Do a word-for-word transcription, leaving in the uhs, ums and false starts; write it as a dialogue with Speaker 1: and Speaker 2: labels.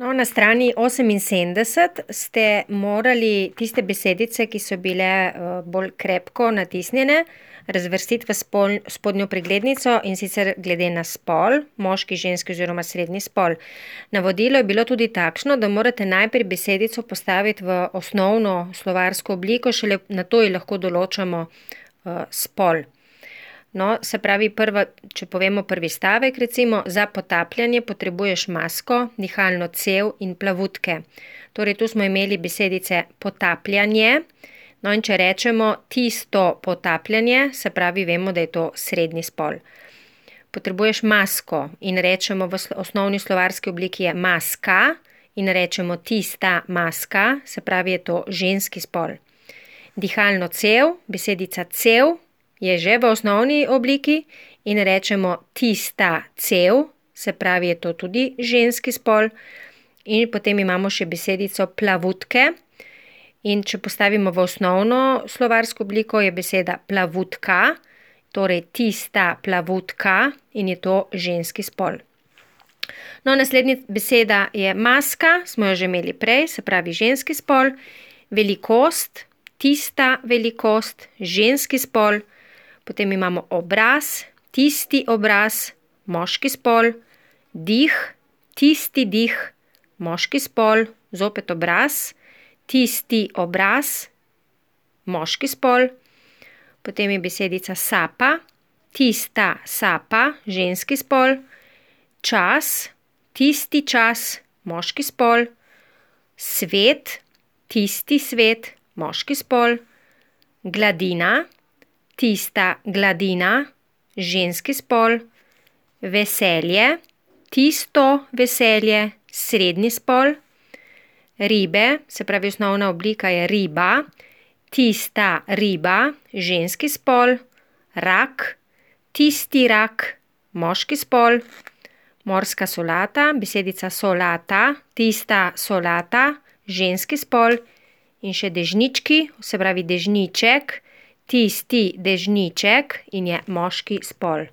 Speaker 1: No, na strani oseminsedemdeset ste morali tiste besedice, ki so bile bolj krepko natisnjene, razvrstiti v spodnjo preglednico, in sicer glede na spol, moški, ženski oziroma srednji spol. Navodilo je bilo tudi takšno, da morate najprej besedico postaviti v osnovno slovarsko obliko, šele nato ji lahko določamo spol. No, se pravi, prva, če povemo prvi stavek, recimo, za potapljanje potrebuješ masko, dihalno cev in plavutke. Torej, tu smo imeli besedice potapljanje, no, in če rečemo tisto potapljanje, se pravi, vemo, da je to srednji spol. Potrebuješ masko in rečemo v osnovni slovarski obliki je maska in rečemo tista maska, se pravi, je to ženski spol. Dihalno cev, besedica cev, je že v osnovni obliki in rečemo tista cev, se pravi, je to tudi ženski spol. In potem imamo še besedico plavutke in če postavimo v osnovno slovarsko obliko, je beseda plavutka, torej tista plavutka in je to ženski spol. No, naslednja beseda je maska, smo jo že imeli prej, se pravi ženski spol. Velikost, tista velikost, ženski spol. Potem imamo obraz, tisti obraz, moški spol. Dih, tisti dih, moški spol. Zopet obraz, tisti obraz, moški spol. Potem je besedica sapa, tista sapa, ženski spol. Čas, tisti čas, moški spol. Svet, tisti svet, moški spol. Gladina, tista gladina, ženski spol. Veselje, tisto veselje, srednji spol. Ribe, se pravi, osnovna oblika je riba, tista riba, ženski spol. Rak, tisti rak, moški spol. Morska solata, besedica solata, tista solata, ženski spol. In še dežnički, se pravi dežniček, tisti dežniček in je moški spol.